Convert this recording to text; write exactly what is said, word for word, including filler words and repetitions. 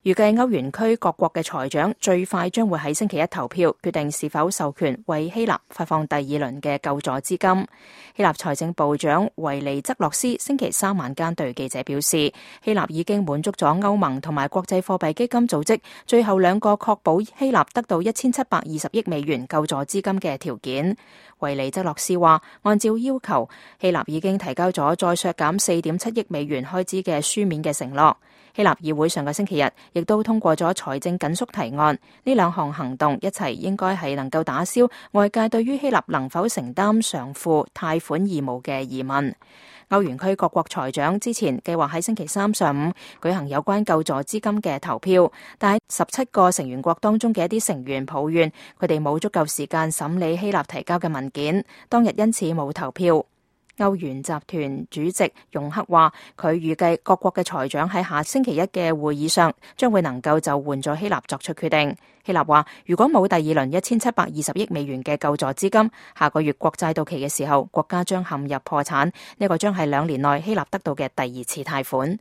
預計歐元區各國嘅財長最快將會喺星期一投票，決定是否授權為希臘發放第二輪嘅救助資金。希臘財政部長維尼則洛斯星期三晚間對記者表示，希臘已經滿足咗歐盟同埋國際貨幣基金組織最後兩個確保希臘得到一千七百二十億美元救助資金嘅條件。維尼則洛斯話，按照要求，希臘已經提交咗再削減四點七億美元開支嘅書面嘅承諾。希臘議會上個星期日亦都通過咗財政緊縮提案，呢兩項行動一齊應該係能夠打消外界對於希臘能否承擔償付貸款義務嘅疑問。歐元區各國財長之前計劃喺星期三上午舉行有關救助資金嘅投票，但係十七個成員國當中嘅一啲成員抱怨佢哋冇足夠時間審理希臘提交嘅文件，當日因此冇投票。歐元集團主席容克話，佢預計各國嘅財長喺下星期一嘅會議上將會能夠就援助希臘作出決定。希臘話，如果冇第二輪一千七百二十億美元嘅救助資金，下個月國債到期嘅時候，國家將陷入破產。呢個將係兩年內希臘得到嘅第二次貸款。